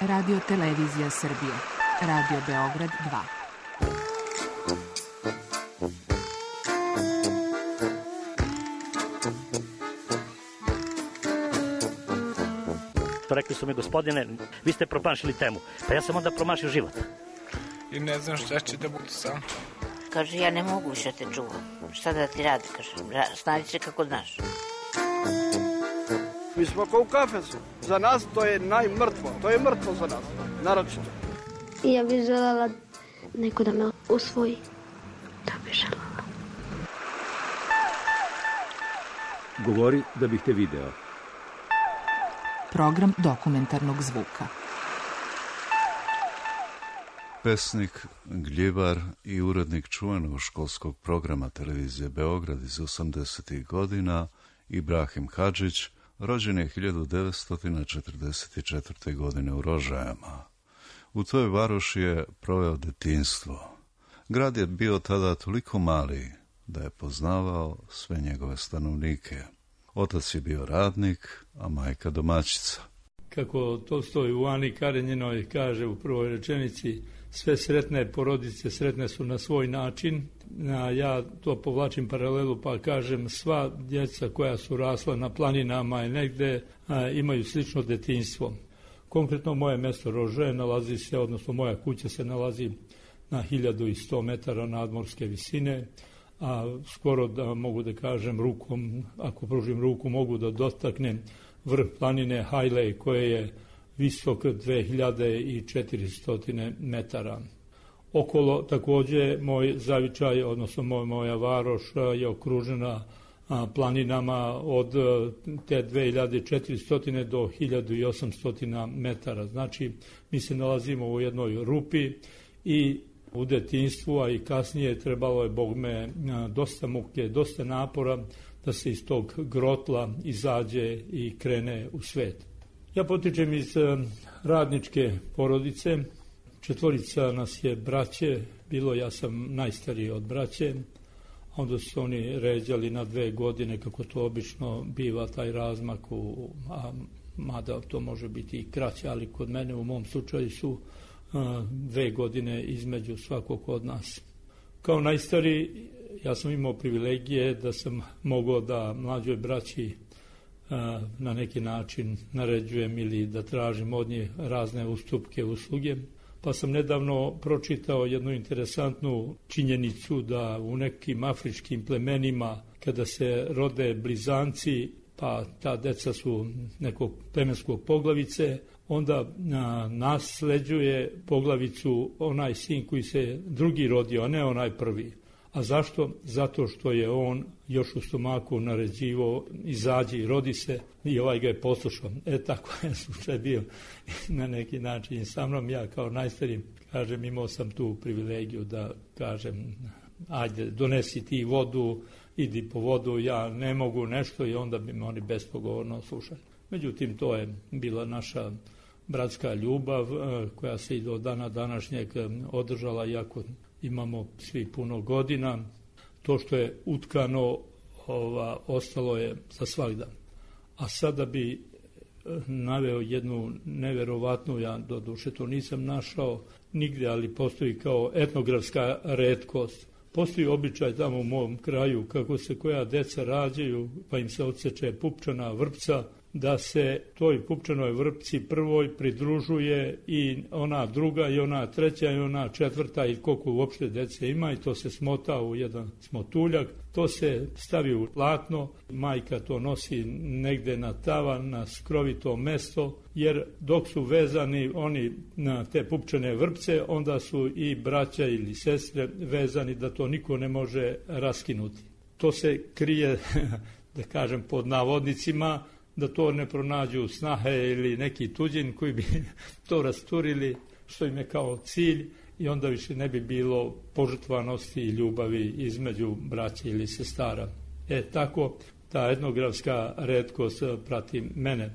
Radio Televizija Srbije. Radio Beograd 2. Rekli su mi, gospodine, vi ste promašili temu. Pa ja sam onda promašio život. I ne znam šta će da bude sam. Kaže, ja ne mogu više te čuvam. Šta da ti radi, kaže, snađi se kako znaš. Mi smo kao u kafesu. Za nas to je najmrtvo. To je mrtvo za nas, naročito. Ja bih željela neko da me usvoji. Da bih željela. Govori da bih te video. Program dokumentarnog zvuka. Pesnik, gljivar i urednik čuvenog školskog programa televizije Beograd iz 80. godina, Ibrahim Hadžić, rođen je 1944. godine u Rožajama. U toj varoši je proveo detinjstvo. Grad je bio tada toliko mali da je poznavao sve njegove stanovnike. Otac je bio radnik, a majka domaćica. Kako Tolstoj u Ani Karenjinoj kaže u prvoj rečenici, sve sretne porodice sretne su na svoj način. Ja to povlačim paralelu pa kažem, sva djeca koja su rasla na planinama i negde imaju slično detinjstvo. Konkretno moje mesto Rožaje nalazi se, odnosno moja kuća se nalazi na 1100 metara nadmorske visine, a skoro da mogu da kažem rukom, ako pružim ruku, mogu da dotaknem vrh planine Hajlej koje je visok 2400 metara. Okolo takođe moj zavičaj, odnosno moja varoš je okružena planinama od te 2400 do 1800 metara. Znači, mi se nalazimo u jednoj rupi i u detinjstvu, a i kasnije trebalo je, Bog me, dosta muke, dosta napora da se iz tog grotla izađe i krene u svet. Ja potičem iz radničke porodice, 4 nas je braće, bilo ja sam najstariji od braće, onda su oni ređali na 2 godine, kako to obično biva taj razmak, mada to može biti i kraće, ali kod mene u mom slučaju su 2 godine između svakog od nas. Kao najstariji ja sam imao privilegije da sam mogao da mlađoj braći na neki način naređujem ili da tražim od njih razne ustupke, usluge. Pa sam nedavno pročitao jednu interesantnu činjenicu da u nekim afričkim plemenima kada se rode blizanci, pa ta deca su nekog plemenskog poglavice, onda nasleđuje poglavicu onaj sin koji se drugi rodio, a ne onaj prvi. A zašto? Zato što je on još u stomaku naređivo, izađi, rodi se, i ovaj ga je poslušao. Tako je slučaj bio na neki način i sa mnom. Ja kao najstariji, kažem, imao sam tu privilegiju da kažem, ajde, donesi ti vodu, idi po vodu, ja ne mogu nešto, i onda bi me oni bespogovorno slušali. Međutim, to je bila naša bratska ljubav koja se i do dana današnjeg održala, iako imamo svi puno godina. To što je utkano ostalo je za svakdan. A sada bi naveo jednu neverovatnu, ja doduše to nisam našao nigde, ali postoji kao etnografska retkost. Postoji običaj tamo u mom kraju kako se koja deca rađaju pa im se odseče pupčana vrpca, da se toj pupčanoj vrpci prvoj pridružuje i ona druga i ona treća i ona četvrta i koliko uopšte dece ima, i to se smota u jedan smotuljak, to se stavi u platno, majka to nosi negde na tavan, na skrovito mesto, jer dok su vezani oni na te pupčane vrpce, onda su i braća ili sestre vezani da to niko ne može raskinuti. To se krije, da kažem, pod navodnicima, da to ne pronađu snahe ili neki tuđin koji bi to rasturili, što im je kao cilj, i onda više ne bi bilo požrtvanosti i ljubavi između braća ili sestara. Tako ta etnografska retkost prati mene.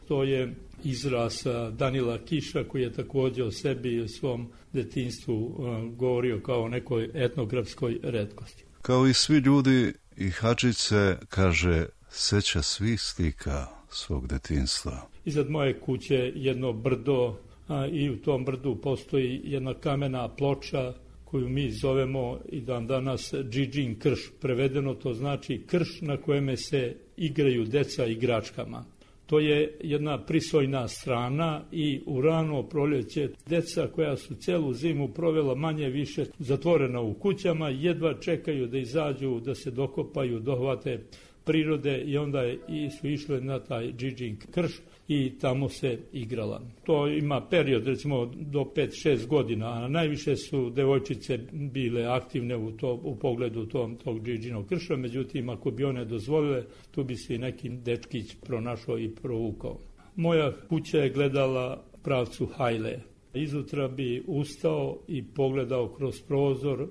To je izraz Danila Kiša, koji je također o sebi i o svom detinjstvu govorio kao o nekoj etnografskoj retkosti. Kao i svi ljudi, i Hadžić se, kaže, seća svih slika svog detinjstva. Iznad moje kuće jedno brdo i u tom brdu postoji jedna kamena ploča koju mi zovemo i dan danas Džidžin krš. Prevedeno to znači krš na kojem se igraju deca igračkama. To je jedna prisojna strana i u rano proljeće deca koja su celu zimu provela manje više zatvorena u kućama, jedva čekaju da izađu, da se dokopaju, dohvate prirode i onda su išle na taj Džidžin krš i tamo se igrala. To ima period recimo do 5-6 godina, a najviše su devojčice bile aktivne u pogledu tog Džidžinog krša, međutim ako bi one dozvolile, tu bi se i neki dečkić pronašao i provukao. Moja kuća je gledala pravcu Hajle. Izutra bi ustao i pogledao kroz prozor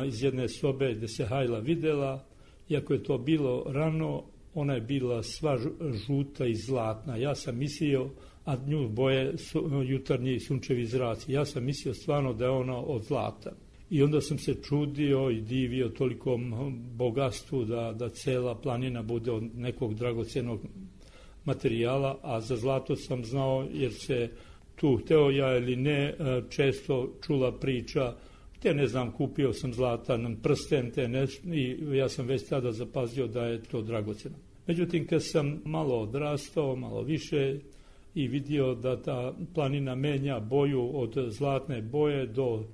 iz jedne sobe gde se Hajla videla. Iako je to bilo rano, ona je bila sva žuta i zlatna. Ja sam mislio, a nju boje jutarnji sunčevi zraci, ja sam mislio stvarno da je ona od zlata. I onda sam se čudio i divio tolikom bogatstvu da cela planina bude od nekog dragocenog materijala, a za zlato sam znao jer se tu, hteo ja ili ne, često čula priča. Ne znam, kupio sam zlatan prsten i ja sam već tada zapazio da je to dragoceno. Međutim, kad sam malo odrastao, malo više i vidio da ta planina menja boju od zlatne boje do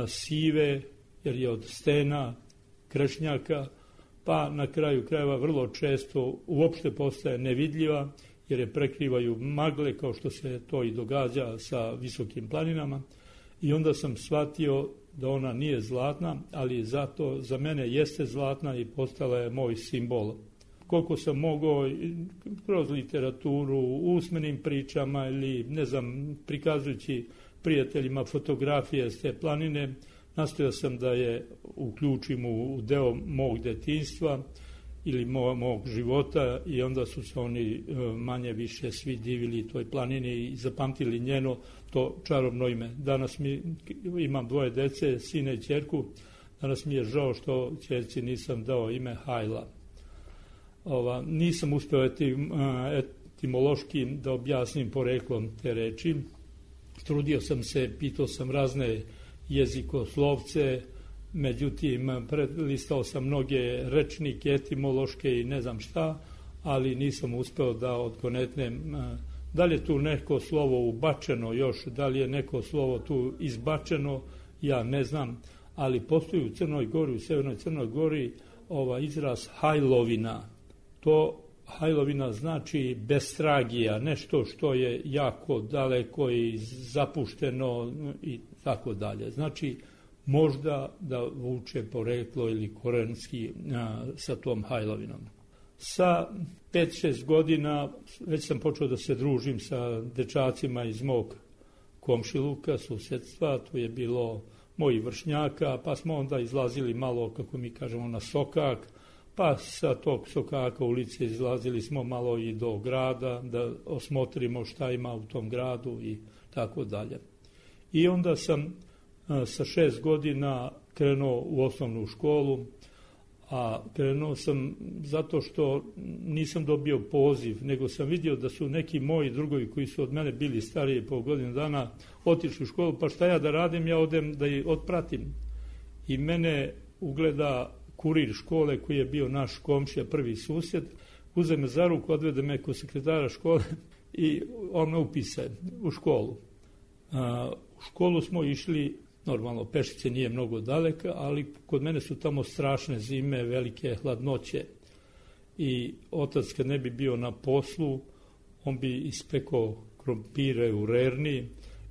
sive, jer je od stena, krešnjaka, pa na kraju krajeva vrlo često uopšte postaje nevidljiva, jer je prekrivaju magle, kao što se to i događa sa visokim planinama. I onda sam shvatio da ona nije zlatna, ali zato za mene jeste zlatna i postala je moj simbol. Koliko sam mogao kroz literaturu, usmenim pričama ili ne znam, prikazujući prijateljima fotografije s te planine, nastojao sam da je uključim u deo mog detinjstva ili mog života i onda su se oni manje više svi divili toj planini i zapamtili njeno to čarobno ime. Danas imam 2 dece, sina i ćerku, danas mi je žao što ćerci nisam dao ime Hajla. Nisam uspeo etimološki da objasnim poreklom te reči. Trudio sam se, pitao sam razne jezikoslovce, međutim, prelistao sam mnoge rečnike, etimološke i ne znam šta, ali nisam uspeo da odgonetnem da li je tu neko slovo ubačeno još, da li je neko slovo tu izbačeno, ja ne znam, ali postoji u Crnoj Gori, u Severnoj Crnoj Gori izraz hajlovina. To hajlovina znači bestragija, nešto što je jako daleko i zapušteno i tako dalje. Znači, možda da vuče poreklo ili korenski sa tom hajlovinom. Sa 5-6 godina već sam počeo da se družim sa dečacima iz mog komšiluka, susedstva, tu je bilo mojih vršnjaka, pa smo onda izlazili malo, kako mi kažemo, na sokak, pa sa tog sokaka ulice izlazili smo malo i do grada, da osmotrimo šta ima u tom gradu i tako dalje. I onda sam sa 6 godina krenuo u osnovnu školu, a krenuo sam zato što nisam dobio poziv, nego sam vidio da su neki moji drugovi koji su od mene bili stariji po godinu dana otišli u školu, pa šta ja da radim, ja odem da ih otpratim. I mene ugleda kurir škole koji je bio naš komšija, prvi susjed, uze me za ruku, odvede me kod sekretara škole i on me upise u školu. U školu smo išli, normalno pešice nije mnogo daleka, ali kod mene su tamo strašne zime, velike hladnoće i otac kad ne bi bio na poslu, on bi ispekao krompire u rerni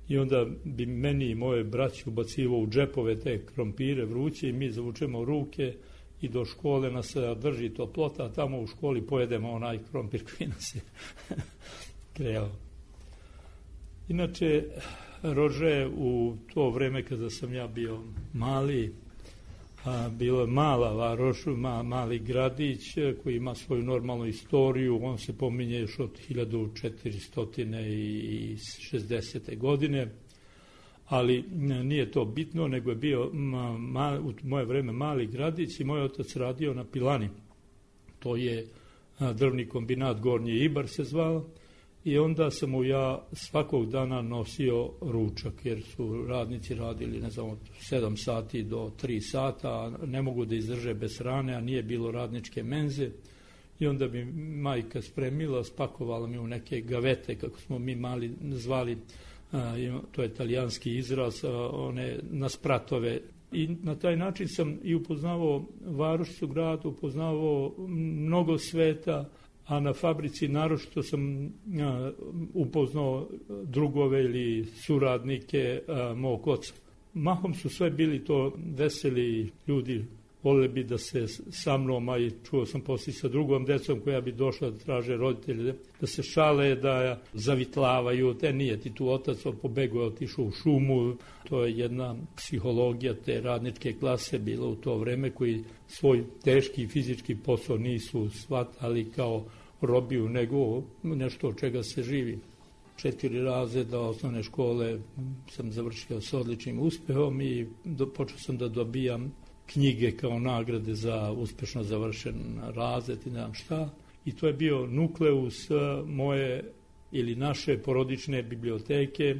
i onda bi meni i moje braći ubacivao u džepove te krompire vruće i mi zavučemo ruke i do škole nas drži toplota, a tamo u školi pojedemo onaj krompir koji nas je krejao. Inače, Rože u to vreme kada sam ja bio mali, bilo je mala varoš, mali gradić koji ima svoju normalnu istoriju, on se pominje još od 1460. godine, ali nije to bitno, nego je bio u moje vreme mali gradić i moj otac radio na pilani. To je drvni kombinat Gornji Ibar se zvao i onda sam mu ja svakog dana nosio ručak, jer su radnici radili, ne znam, od 7 sati do 3 sata, a ne mogu da izdrže bez hrane, a nije bilo radničke menze. I onda bi majka spremila, spakovala mi u neke gavete, kako smo mi mali zvali, to je italijanski izraz, one na spratove. I na taj način sam i upoznavao Varošicu grad, upoznavao mnogo sveta, a na fabrici naročito sam upoznao drugove ili suradnike mog oca. Mahom su sve bili to veseli ljudi, voleli bi da se sa mnom, a i čuo sam poslije sa drugom decom koja bi došla da traže roditelje, da se šale, da zavitlavaju, nije ti tu otac, pobegao je, otišao u šumu. To je jedna psihologija te radničke klase bila u to vreme, koji svoj teški fizički posao nisu shvatali kao robiju, nego nešto od čega se živi. 4 razreda osnovne škole sam završio s odličnim uspehom i počeo sam da dobijam knjige kao nagrade za uspešno završen razred i ne znam šta. I to je bio nukleus moje ili naše porodične biblioteke,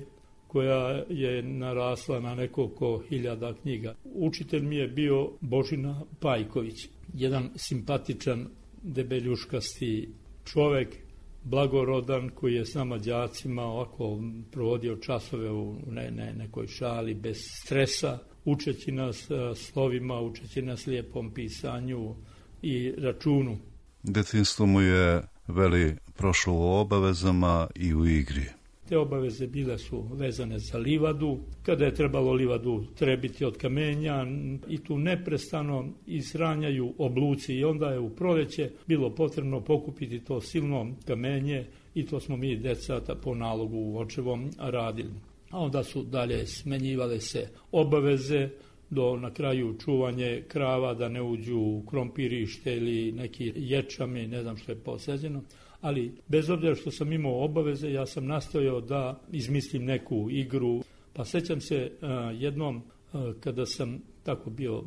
koja je narasla na nekoliko hiljada knjiga. Učitelj mi je bio Božina Pajković, jedan simpatičan, debeljuškasti čovek, blagorodan, koji je s nama đacima ovako provodio časove u nekoj šali, bez stresa, učeći nas slovima, učeći nas lijepom pisanju i računu. Detinjstvo mu je, veli, prošlo u obavezama i u igri. Te obaveze bile su vezane za livadu, kada je trebalo livadu trebiti od kamenja i tu neprestano izranjaju obluci i onda je u proleće bilo potrebno pokupiti to silno kamenje i to smo mi deca po nalogu očevom radili. A onda su dalje smenjivale se obaveze do na kraju čuvanje krava da ne uđu u krompirište ili neki ječami, ne znam što je posađeno. Ali bez obzira što sam imao obaveze, ja sam nastojao da izmislim neku igru. Pa sećam se jednom kada sam tako bio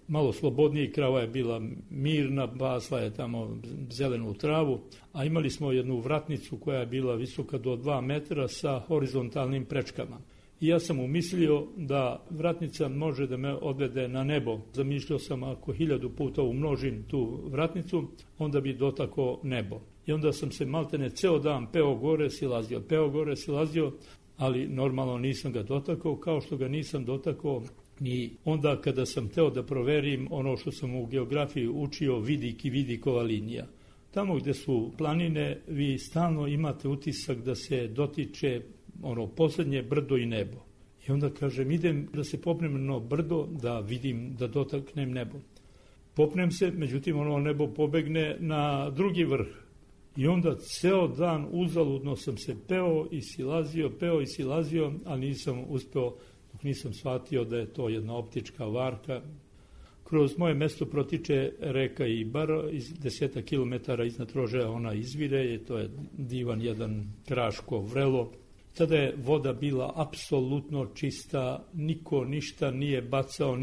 malo slobodniji, krava je bila mirna, basla je tamo zelenu travu, a imali smo jednu vratnicu koja je bila visoka do 2 metra sa horizontalnim prečkama. I ja sam umislio da vratnica može da me odvede na nebo. Zamišljao sam ako 1000 puta umnožim tu vratnicu, onda bi dotakao nebo. I onda sam se maltene ceo dan peo gore, silazio, ali normalno nisam ga dotakao, kao što ga nisam dotakao ni onda kada sam teo da proverim ono što sam u geografiji učio, vidik i vidikova linija. Tamo gde su planine, vi stalno imate utisak da se dotiče posljednje brdo i nebo. I onda kažem, idem da se popnem na brdo, da vidim, da dotaknem nebo. Popnem se, međutim nebo pobegne na drugi vrh. I onda ceo dan uzaludno sam se peo i silazio, ali nisam uspeo, dok nisam shvatio da je to jedna optička varka. Kroz moje mesto protiče reka Ibar, 10 km iznad Rožaja ona izvire, i to je divan jedan kraško vrelo. Tada je voda bila apsolutno čista, niko ništa nije bacao,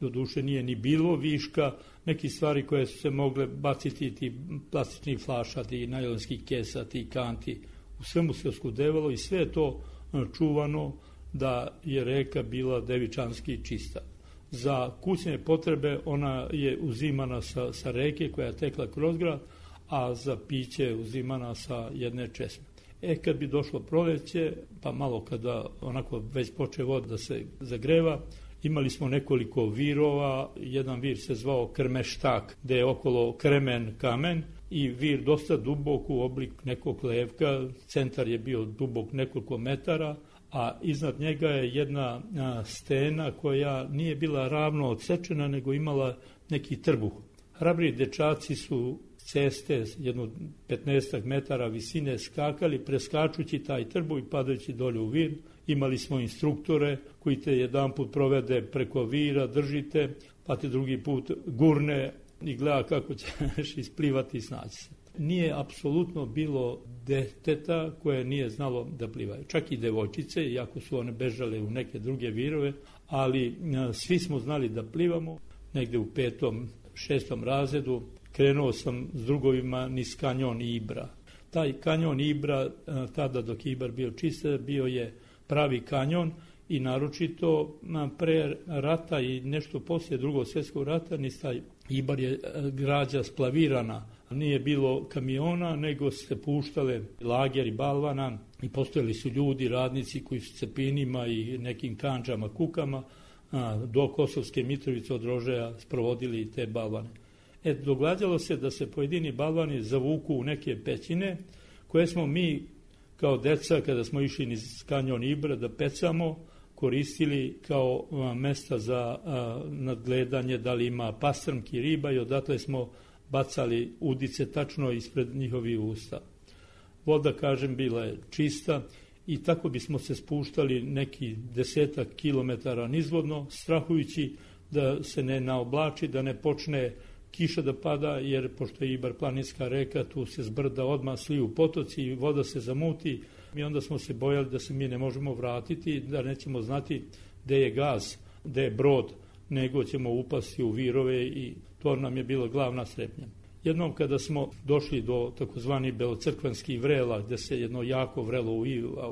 doduše nije ni bilo viška, neki stvari koje su se mogle baciti, ti plastični flaša, ti najlonski kesa, ti kanti, u svemu se oskudevalo i sve je to čuvano da je reka bila devičanski čista. Za kućne potrebe ona je uzimana sa reke koja je tekla kroz grad, a za piće je uzimana sa jedne česme. Kad bi došlo proleće, pa malo kada onako već poče voda da se zagreva, imali smo nekoliko virova, jedan vir se zvao Krmeštak, gde je okolo kremen kamen i vir dosta dubok u oblik nekog levka, centar je bio dubok nekoliko metara, a iznad njega je jedna stena koja nije bila ravno odsečena, nego imala neki trbuh. Hrabri dečaci su ceste, jedno 15 metara visine skakali, preskačući taj trbuh i padajući dolje u vir. Imali smo instruktore koji te jedan put provede preko vira, držite, pa te drugi put gurne i gleda kako ćeš isplivati i snaći se. Nije apsolutno bilo deteta koje nije znalo da plivaju. Čak i devojčice, iako su one bežale u neke druge virove, ali svi smo znali da plivamo. Negde u 5., 6. razredu krenuo sam s drugovima niz kanjon Ibra. Taj kanjon Ibra, tada dok je Ibar bio čist, bio je pravi kanjon i naročito pre rata i nešto poslije Drugog svjetskog rata, taj Ibar je građa splavirana. Nije bilo kamiona, nego se puštale lageri balvana i postojali su ljudi, radnici koji su cepinima i nekim kanđama, kukama do Kosovske Mitrovice od Rožaja sprovodili te balvane. Događalo se da se pojedini balvani zavuku u neke pećine koje smo mi kao deca, kada smo išli niz kanjon Ibra da pecamo, koristili kao mesta za nadgledanje da li ima pastrmki, riba, i odatle smo bacali udice tačno ispred njihovih usta. Voda, kažem, bila je čista i tako bismo se spuštali neki 10 kilometara nizvodno, strahujući da se ne naoblači, da ne počne kiša da pada, jer pošto je Ibar planinska reka, tu se zbrda odmah sliju potoci i voda se zamuti. I onda smo se bojali da se mi ne možemo vratiti, da nećemo znati gde je gaz, gde je brod, nego ćemo upasti u virove i to nam je bila glavna strepnja. Jednom kada smo došli do takozvani belocrkvanskih vrela, gde se jedno jako vrelo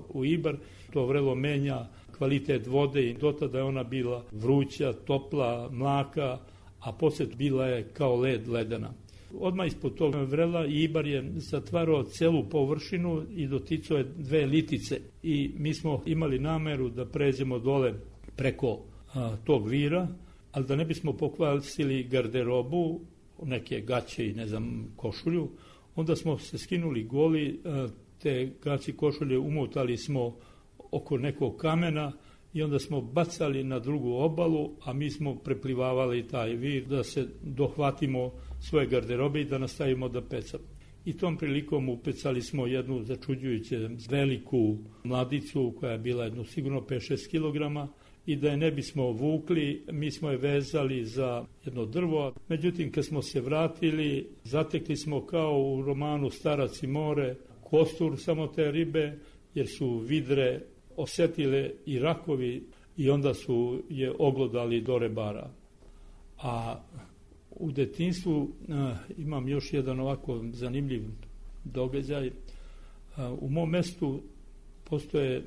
u Ibar, to vrelo menja kvalitet vode i dotada je ona bila vruća, topla, mlaka, a poslije bila je kao led ledena. Odmah ispod tog vrela Ibar je zatvarao celu površinu i doticao je 2 litice. I mi smo imali nameru da pređemo dole preko tog vira, ali da ne bismo pokvarili garderobu, neke gaće i ne znam košulju, onda smo se skinuli goli, te gaće košulje umotali smo oko nekog kamena i onda smo bacali na drugu obalu, a mi smo preplivavali taj vir da se dohvatimo svoje garderobe i da nastavimo da pecamo. I tom prilikom upecali smo jednu začuđujuće veliku mladicu koja je bila jedno sigurno 5-6 kilograma i da je ne bismo vukli, mi smo je vezali za jedno drvo. Međutim, kad smo se vratili, zatekli smo kao u romanu Starac i more, kostur samo te ribe, jer su vidre osetile i rakovi i onda su je oglodali do rebara. A u detinjstvu imam još jedan ovako zanimljiv događaj. U mom mestu postoje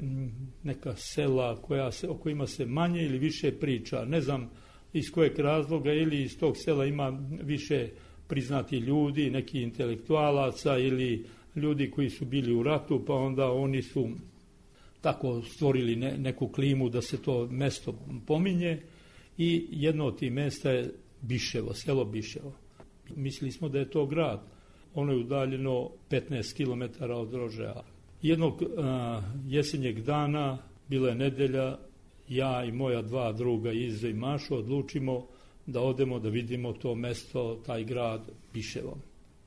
neka sela o kojima se manje ili više priča. Ne znam iz kojeg razloga, ili iz tog sela ima više priznati ljudi, neki intelektualaca ili ljudi koji su bili u ratu, pa onda oni su tako stvorili neku klimu da se to mesto pominje i jedno od tih mesta je Biševo, selo Biševo. Mislili smo da je to grad. Ono je udaljeno 15 km od Rožaja. Jednog jesenjeg dana, bila je nedelja, ja i moja 2 druga, Izo i Mašo, odlučimo da odemo da vidimo to mesto, taj grad Biševo.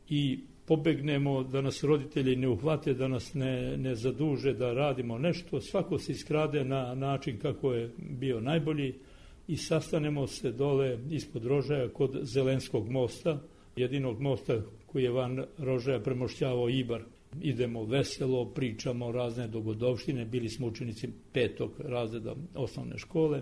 I pobegnemo da nas roditelji ne uhvate, da nas ne zaduže da radimo nešto. Svako se iskrade na način kako je bio najbolji i sastanemo se dole ispod Rožaja kod Zelenskog mosta, jedinog mosta koji je van Rožaja premošćavao Ibar. Idemo veselo, pričamo razne dogodovštine, bili smo učenici 5. razreda osnovne škole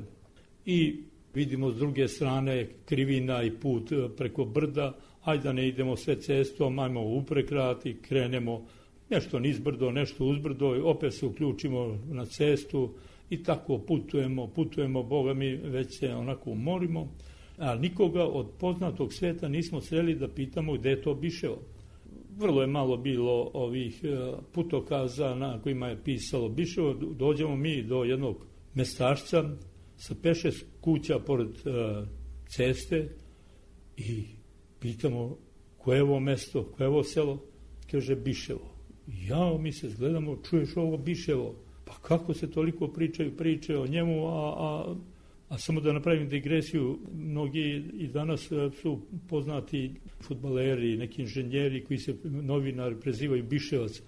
i vidimo s druge strane krivina i put preko brda, ajde da ne idemo sve cestom, ajmo uprekrati, krenemo nešto nizbrdo, nešto uzbrdo, opet se uključimo na cestu i tako putujemo, Boga mi već se onako umorimo, a nikoga od poznatog sveta nismo sreli da pitamo gde je to Biševo. Vrlo je malo bilo ovih putokaza na kojima je pisalo Biševo. Dođemo mi do jednog mestašca sa 5-6 kuća pored ceste i pitamo koje je ovo mesto, koje je ovo selo. Kaže Biševo. Jao, mi se zgledamo, čuješ ovo Biševo? Pa kako se toliko priče o njemu, a samo da napravim digresiju, mnogi i danas su poznati fudbaleri, neki inženjeri koji se novinari prezivaju Biševac.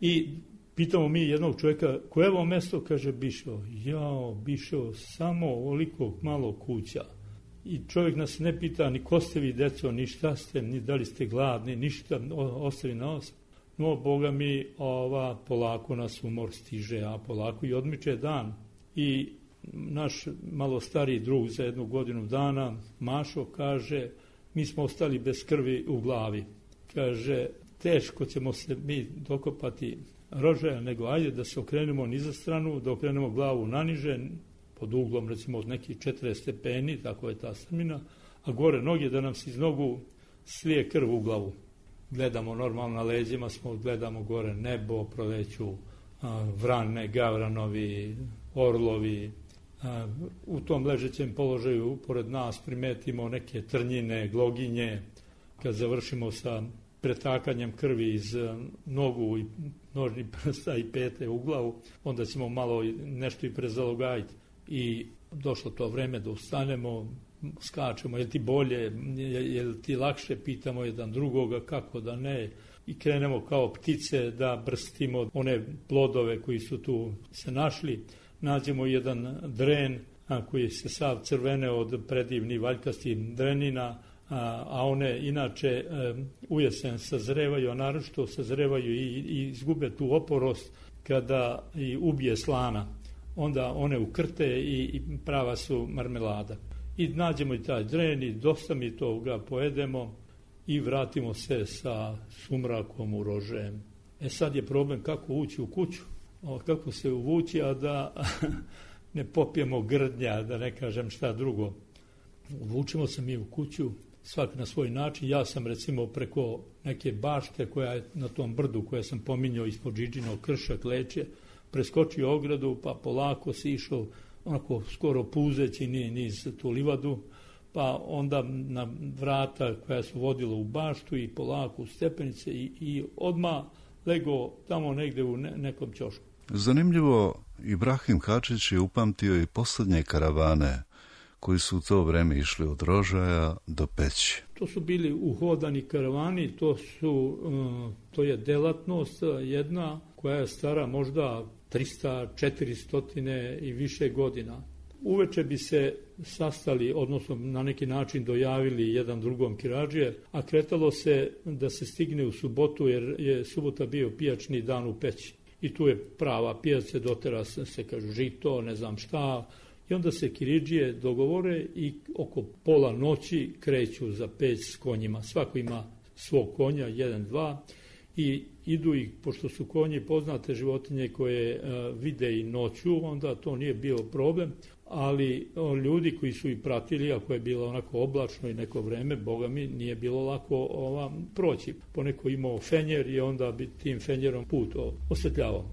I pitamo mi jednog čovjeka, koje je ovo mesto? Kaže Biševo. Jao, Biševo, samo ovoliko malo kuća. I čovjek nas ne pita ni ko ste vi, deco, ni šta ste, ni da li ste gladni, ništa, ostavi na os. No, Boga mi, polako nas umor stiže, a polako i odmiče dan. I naš malo stariji drug za 1 godinu dana, Mašo, kaže, mi smo ostali bez krvi u glavi. Kaže, teško ćemo se mi dokopati rožaja, nego ajde da se okrenemo niza stranu, da okrenemo glavu naniže, pod uglom recimo od nekih 40 stepeni, tako je ta strmina, a gore noge da nam se iz nogu slije krv u glavu. Gledamo normalno na leđima, gledamo gore nebo, proleću vrane, gavranovi, orlovi. U tom ležećem položaju pored nas primetimo neke trnjine, gloginje. Kad završimo sa pretakanjem krvi iz nogu i nožnih prsta i pete u glavu, onda ćemo malo nešto i prezalogajiti. I došlo to vreme da ustanemo, skačemo, je li ti bolje, je li ti lakše, pitamo jedan drugoga, kako da ne. I krenemo kao ptice da brstimo one plodove koji su tu se našli. Nađemo jedan dren koji se sav crvene od predivnih valjkastih drenina, a one inače u jesen sazrevaju, a naročito sazrevaju i izgube tu oporost kada i ubije slana. Onda one ukrte i prava su marmelada. I nađemo i taj dren i dosta mi toga pojedemo i vratimo se sa sumrakom u rožajem. Sad je problem kako ući u kuću, kako se uvući, a da ne popijemo grdnja, da ne kažem šta drugo. Uvučimo se mi u kuću, svak na svoj način. Ja sam recimo preko neke bašte koja je na tom brdu koje sam pominjao ispod Džiđinog krša Kleče, preskočio ogradu pa polako si išao onako skoro puzeći niz tu livadu, pa onda na vrata koja su vodila u baštu i polako u stepenice i odmah lego tamo negde u nekom ćošku. Zanimljivo, Ibrahim Hadžić je upamtio i posljednje karavane koji su u to vreme išli od Rožaja do Peći. To su bili uhodani karavani, to je delatnost jedna koja je stara možda 300, 400 i više godina. Uveče bi se sastali, odnosno na neki način dojavili jedan drugom kiradžije, a kretalo se da se stigne u subotu, jer je subota bio pijačni dan u Peći. I tu je prava pijac, dotera se kažu žito, ne znam šta, i onda se kiridžije dogovore i oko pola noći kreću za Peć s konjima. Svako ima svog konja, 1, 2, i idu ih, pošto su konji poznate životinje koje vide i noću, onda to nije bio problem, ali ljudi koji su ih pratili, ako je bilo onako oblačno i neko vreme, boga mi, nije bilo lako proći. Poneko imao fenjer i onda bi tim fenjerom put osvetljavao.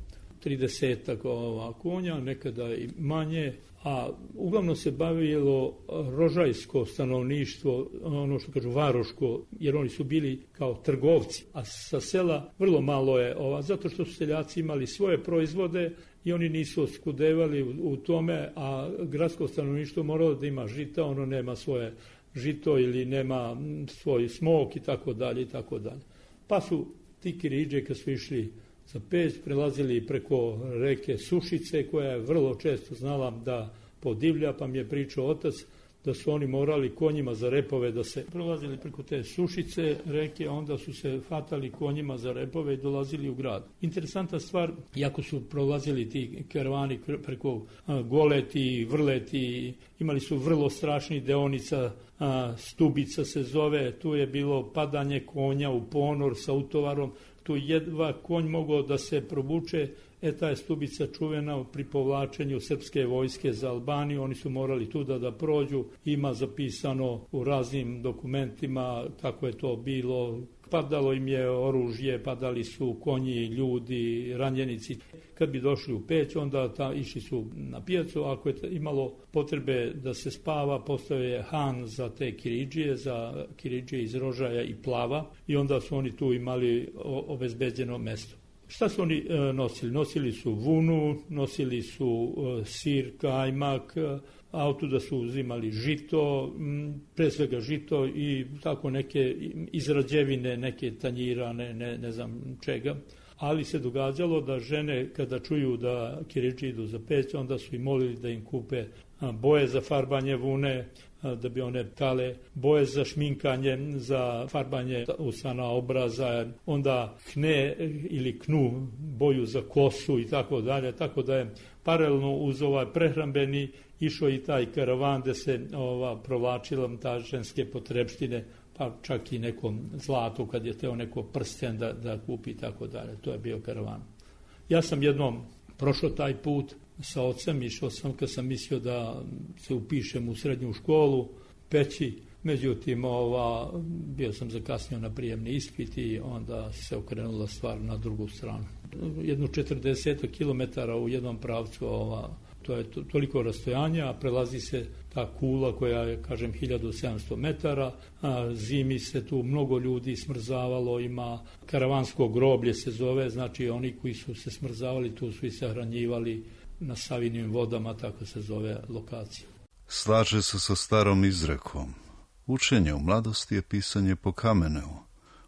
30 konja, nekada i manje, a uglavnom se bavilo rožajsko stanovništvo, ono što kažu varoško, jer oni su bili kao trgovci, a sa sela vrlo malo je zato što su seljaci imali svoje proizvode i oni nisu oskudevali u tome, a gradsko stanovništvo moralo da ima žita, ono nema svoje žito ili nema svoj smok i tako dalje i tako dalje. Pa su ti kiridže kad su išli za Peć prelazili preko reke Sušice, koja je vrlo često znala da podivlja, pa mi je pričao otac da su oni morali konjima za repove da se prelazili preko te Sušice reke, onda su se fatali konjima za repove i dolazili u grad. Interesantna stvar, jako su prolazili ti karavani preko Goleti, Vrleti, imali su vrlo strašnih deonica, Stubica se zove, tu je bilo padanje konja u ponor sa utovarom, tu jedva konj mogao da se probuče, ta je Stubica čuvena pri povlačenju srpske vojske za Albaniju, oni su morali tu da prođu, ima zapisano u raznim dokumentima kako je to bilo, padalo im je oružje, padali su konji, ljudi, ranjenici. Kad bi došli u Peć, onda išli su na pijacu, ako je imalo potrebe da se spava, postao je han za te kiridžije, za kiridžije iz Rožaja i Plava, i onda su oni tu imali obezbeđeno mesto. Šta su oni nosili? Nosili su vunu, nosili su sir, kajmak, autuda su uzimali žito, pre svega žito i tako neke izrađevine, neke tanjira, ne znam čega. Ali se događalo da žene kada čuju da kiridži idu za Peć, onda su i molili da im kupe boje za farbanje vune, da bi one tale, boje za šminkanje, za farbanje usana, obraza, onda kne ili knu, boju za kosu i tako dalje, tako da je paralelno uz prehrambeni išao i taj karavan gde se provlačila ta ženske potrebštine, pa čak i nekom zlatu kad je teo neko prsten da kupi i tako dalje. To je bio karavan. Ja sam jednom prošao taj put sa ocem, išao sam kad sam mislio da se upišem u srednju školu, Peći, međutim bio sam zakasnio na prijemni ispit i onda se okrenula stvar na drugu stranu. Jedno 40 kilometara u jednom pravcu, to je toliko rastojanja, a prelazi se ta kula koja je, kažem, 1700 metara, zimi se tu mnogo ljudi smrzavalo, ima karavansko groblje se zove, znači oni koji su se smrzavali tu su i sahranjivali na Savinim vodama, tako se zove lokacija. Slaže se sa starom izrekom. Učenje u mladosti je pisanje po kamenu,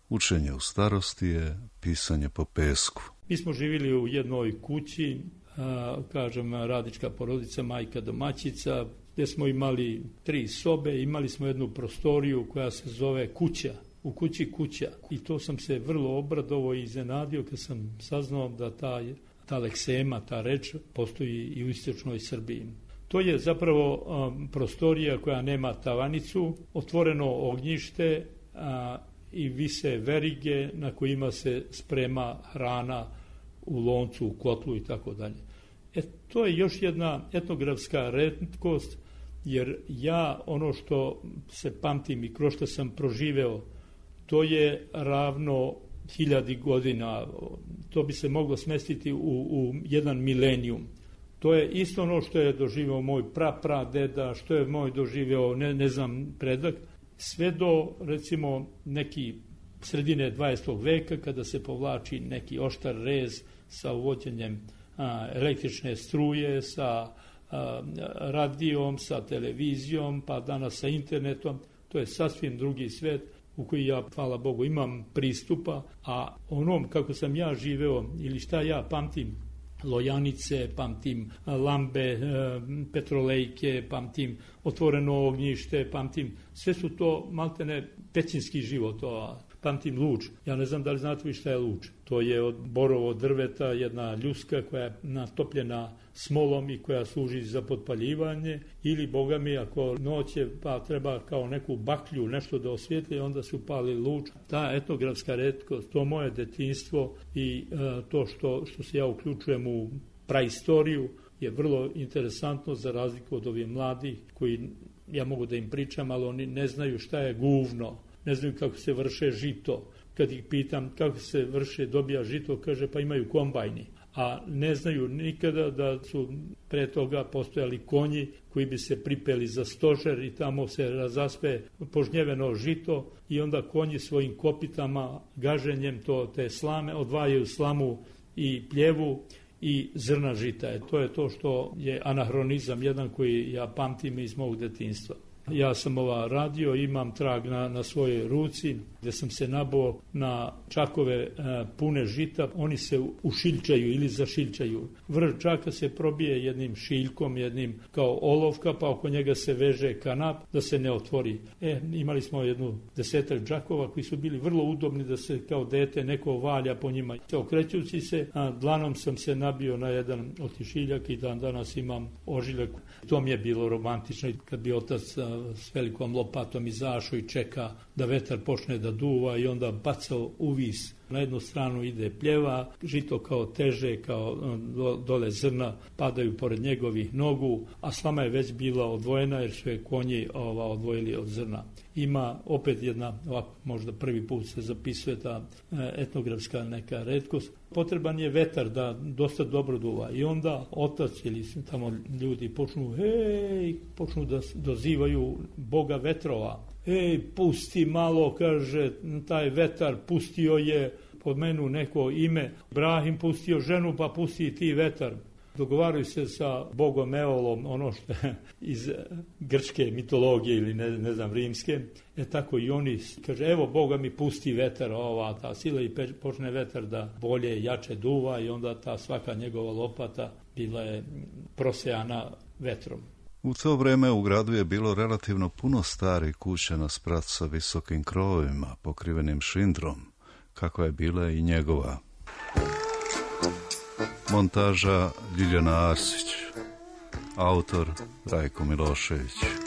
učenje u starosti je pisanje po pesku. Mi smo živjeli u jednoj kući, kažem, radnička porodica, majka domaćica, gdje smo imali 3 sobe, imali smo jednu prostoriju koja se zove kuća, u kući kuća. I to sam se vrlo obradovao i iznenadio kad sam saznao da ta leksema, ta reč, postoji i u istočnoj Srbiji. To je zapravo prostorija koja nema tavanicu, otvoreno ognjište i vise verige na kojima se sprema hrana u loncu, u kotlu i tako dalje. To je još jedna etnografska retkost, jer ja ono što se pamtim i kroz što sam proživeo, to je ravno 1000 godina, to bi se moglo smestiti u jedan milenijum. To je isto ono što je doživeo moj pradeda, što je moj doživeo, ne znam, predak, sve do, recimo, neki sredine 20. veka, kada se povlači neki oštar rez sa uvođenjem električne struje, sa radijom, sa televizijom, pa danas sa internetom. To je sasvim drugi svet u koji ja, hvala Bogu, imam pristupa, a onom kako sam ja živeo ili šta ja pamtim, lojanice, pamtim lambe, petrolejke, pamtim otvoreno ognjište, pamtim, sve su to maltene pećinski život, pamtim luč. Ja ne znam da li znate vi šta je luč. To je od borovo drveta jedna ljuska koja je natopljena smolom i koja služi za potpaljivanje, ili, Boga mi, ako noć je pa treba kao neku baklju nešto da osvijetli, onda se upali luč. Ta etnografska retkost, to moje detinjstvo i to što se ja uključujem u praistoriju je vrlo interesantno, za razliku od ovih mladih koji, ja mogu da im pričam, ali oni ne znaju šta je guvno, ne znaju kako se vrše žito. Kad ih pitam kako se dobija žito, kaže pa imaju kombajni. A ne znaju nikada da su pre toga postojali konji koji bi se pripeli za stožer i tamo se razaspe požnjeveno žito i onda konji svojim kopitama, gaženjem te slame, odvajaju slamu i pljevu i zrna žita. To je to što je anahronizam jedan koji ja pamtim iz mog detinjstva. Ja sam radio, imam trag na svojoj ruci gdje sam se nabao na čakove pune žita, oni se ušiljčaju ili zašiljčaju. Vrh čaka se probije jednim šiljkom, jednim kao olovka, pa oko njega se veže kanap da se ne otvori. Imali smo 10 džakova koji su bili vrlo udobni da se kao dete neko valja po njima. Okrećući se, dlanom sam se nabio na jedan otišiljak i danas imam ožiljak. To mi je bilo romantično kad bi otac s velikom lopatom izašao i čeka da vetar počne da duva i onda bacao uvis. Na jednu stranu ide pljeva, žito kao teže, kao dole zrna padaju pored njegovih nogu, a slama je već bila odvojena jer su je konji odvojili od zrna. Ima opet jedna, ovako možda prvi put se zapisuje ta etnografska neka retkost. Potreban je vetar da dosta dobro duva i onda otac ili tamo ljudi počnu da dozivaju Boga vetrova. Pusti malo, kaže, taj vetar pustio je, pomenu neko ime, Ibrahim pustio ženu, pa pusti i ti vetar. Dogovaraju se sa Bogom Eolom, ono što je iz grčke mitologije ili ne znam rimske, tako i oni kaže, evo Boga mi pusti vetar, ta sila i počne vetar da bolje, jače duva i onda ta svaka njegova lopata bila je prosejana vetrom. U to vrijeme u gradu je bilo relativno puno starih kuća na sprat sa visokim krovovima, pokrivenim šindrom, kako je bila i njegova. Montaža Ljiljana Arsić, autor Rajko Milošević.